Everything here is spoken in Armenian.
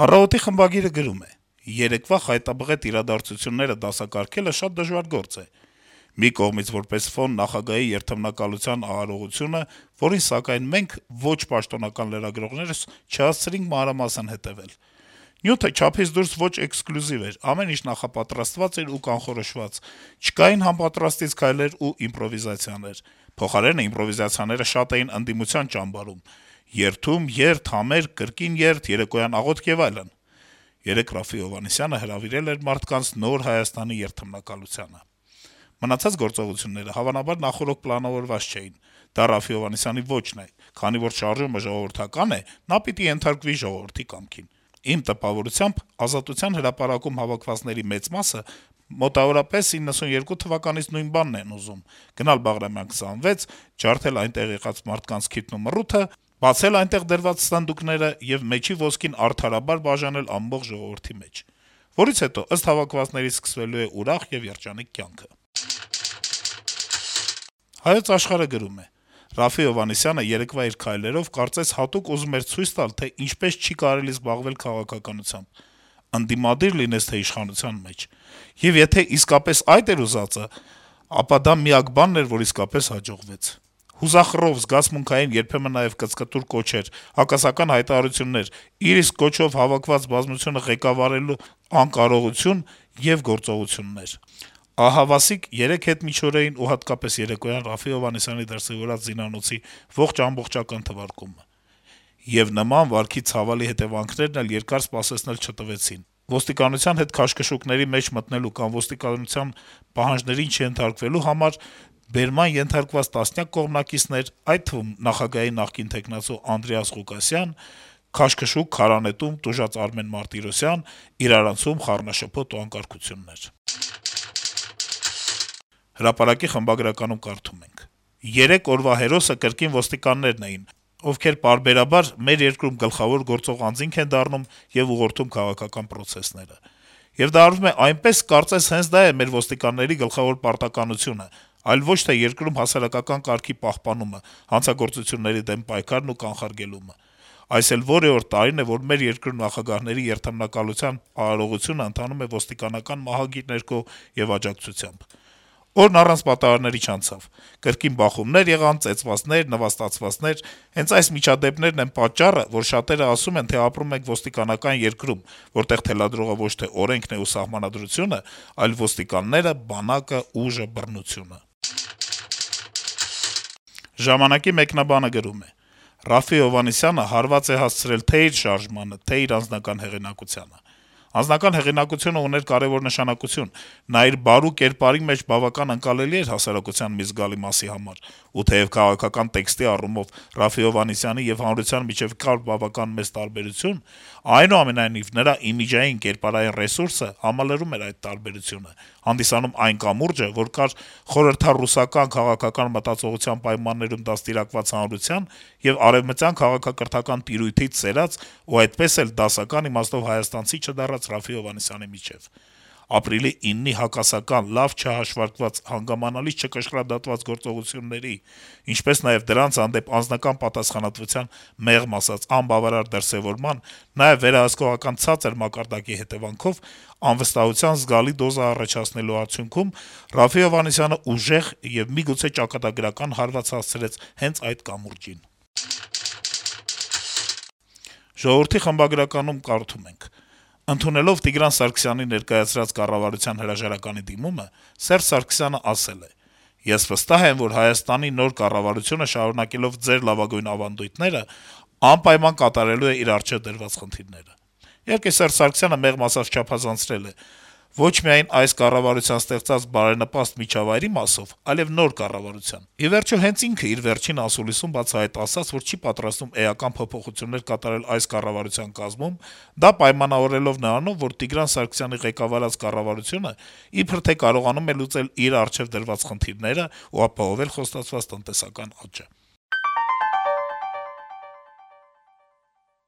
Առավոտի խմբագիրը գրում է. - «Երեկվա խայտաբղետ իրադարձությունները դասակարգելը շատ դժվար գործ է: Մի կողմից որպես ֆոն նախագահի երդմնակալության արարողությունը, որին սակայն մենք ոչ պաշտոնական լրագրողներս չհասցրինք մանրամասն հետեւել: Նյութը չափից դուրս ոչ էքսկլյուզիվ էր, ամեն ինչ նախապատրաստված էր ու կանխորոշված, չկային համապատրաստից քայլեր ու իմպրովիզացիաներ: Փոխարենը, իմպրովիզացիաները շատ էին ընդդիմության ճամբարում. երթում, երթ, համերգ, կրկին երթ, երեկոյան աղոթք եւ այլն: Երեկ Րաֆֆի Հովհաննիսյանը հրավիրել էր մարդկանց Նոր Հայաստանի երդմնակալությանը: Մնացած գործողությունները հավանաբար նախօրոք պլանավորված չէին: Դա Րաֆֆի Հովհաննիսյանի ոճն է. քանի որ շարժումը ժողովրդական է, նա պիտի ենթարկվի ժողովրդի կամքին: Իմ տպավորությամբ, Ազատության հրապարակում հավաքվածների մեծ մասը մոտավորապես 92 թվականից նույն բանն են ուզում` գնալ Բաղրամյան 26, ջարդել այնտեղ եղած մարդկանց քիթն ու մռութը, բացել այնտեղ դրված սնդուկները եւ մեջի ոսկին արդարաբար բաժանել ամբողջ ժողովրդի մեջ: Որից հետո, ըստ հավաքվածների, սկսվելու է ուրախ եւ երջանիկ կյանքը»: «Հայոց Աշխարհ»-ը գրում է. - «Րաֆֆի Հովհաննիսյանը երեկվա իր քայլերով կարծես հատուկ ուզում էր ցույց տալ, թե ինչպես չի կարելի զբաղվել քաղաքականությամբ: Ընդդիմադիր լինես, թե իշխանության մեջ: Եվ եթե իսկապես այդ էր ուզածը, ապա դա միակ բանն էր, որ իսկապես հաջողվեց: Հուզախռով, զգացմունքային, երբեմն նաեւ կծկտուր կոչեր, հակասական հայտարարություններ, իր իսկ կոչով հավաքված բազմությունը ղեկավարելու անկարողություն եւ գործողություններ: Ահավասիկ 3 հետմիջօրեին ու հատկապես երեկոյան Րաֆֆի Հովհաննիսյանի դրսեւորած զինանոցի ողջ-ամբողջական թվարկումը: Եվ նման վարքի ցավալի հետեւանքներն էլ երկար սպասեցնել չտվեցին: Ոստիկանության հետ քաշքշուկների մեջ մտնելու կամ ոստիկանության պահանջներին չենթարկվելու համար բերման ենթարկված տասնյակ կողմնակիցներ, այդ թվում նախագահի նախկին թեկնածու Անդրեաս Ղուկասյան, քաշքշուկ, քարանետում տուժած Արմեն Մարտիրոսյան, իրարանցում խառնաշփոթ ու անկարգություններ»: «Հրապարակ»-ի խմբագրականում կարդում ենք. - «Երեք օրվա հերոսը կրկին ոստիկաններն էին, ովքեր պարբերաբար մեր երկրում գլխավոր գործող անձինք են դառնում եւ ուղղորդում քաղաքական պրոցեսները: Եվ դա արվում է այնպես, կարծես հենց դա է մեր ոստիկանների գլխավոր պարտականությունը, այլ ոչ թե երկրում հասարակական կարգի պահպանումը, հանցագործությունների դեմ պայքարն ու կանխարգելումը: Այս էլ որե օր տարին է, որ մեր երկրում նախագահների երդմնակալության արարողությունն ընթանում է ոստիկանական մահագիր ներքո եւ աջակցությամբ: Օրն առանց պատահարների չանցավ: Կրկին բախումներ եղան, ծեծվածներ, նվաստացվածներ: Հենց այս միջադեպերն են պատճառը, որ շատերը ասում են, թե ապրում ենք ոստիկանական երկրում, որտեղ թելադրողը ոչ թե օրենքն է ու սահմանադրությունը, այլ ոստիկանները, բանակը, ուժը, բռնությունը»: «Ժամանակ»-ի մեկնաբանը գրում է. - «Րաֆֆի Հովհաննիսյանը հարված է հասցրել թե' իր շարժմանը, թե' իր անձնական հեղինակությանը: Անձնական հեղինակությունը ուներ կարեւոր նշանակություն: Նա իր բարու կերպարի մեջ բավական ընկալելի էր հասարակության մի զգալի մասի համար: Ու թեեւ քաղաքական տեքստի առումով Րաֆֆի Հովհաննիսյանի եւ հանրության միջեւ կար բավական մեծ տարբերություն, այնուամենայնիվ, նրա իմիջային, կերպարային ռեսուրսը համալրում էր այդ տարբերությունը, հանդիսանում այն կամուրջը, որ կար խորհրդառուսական քաղաքական մտածողության պայմաններում դաստիարակված հանրության եւ արեւմտյան քաղաքակրթական տիրույթից սերած ու այդպես էլ դասական իմաստով հայաստանցի չդառած Րաֆֆի Հովհաննիսյանի միջեւ: Ապրիլի 9-ի հակասական, լավ չհաշվարկված, հանգամանալից չկշռադատված գործողությունների, ինչպես նաեւ դրանց հանդեպ անձնական պատասխանատվության, մեղմ ասած, անբավարար դրսեւորման, նաեւ վերահսկողական ցածր մակարդակի հետեւանքով անվստահության զգալի դոզը առաջացնելու արդյունքում Րաֆֆի Հովհաննիսյանը ուժեղ եւ միգուցե ճակատագրական հարված հասցրեց հենց այդ կամուրջին»: «Ժողովուրդ»-ի խմբագրականում կարդում ենք. - «Ընդունելով Տիգրան Սարգսյանի ներկայացրած կառավարության հրաժարականի դիմումը, Սերժ Սարգսյանը ասել է. «Ես վստահ եմ, որ Հայաստանի նոր կառավարությունը, շարունակելով ձեր լավագույն ավանդույթները, անպայման կատարելու է իր առջեւ դրված խնդիրները»: Իհարկե, Սերժ Սարգսյանը մեղմ ասած չափազանցրել է ոչ միայն այս կառավարության ստեղծած բարենպաստ միջավայրի մասով, այլեւ նոր կառավարության: Ի վերջո, հենց ինքը իր վերջին ասուլիսում բացահայտ ասաց, որ չի պատրաստվում էական փոփոխություններ կատարել այս կառավարության կազմում, դա պայմանավորելով նրանով, որ Տիգրան Սարգսյանի ղեկավարած կառավարությունը իբր թե կարողանում է լուծել իր առջեւ դրված խնդիրները ու ապահովել խոստացված տնտեսական աճը»: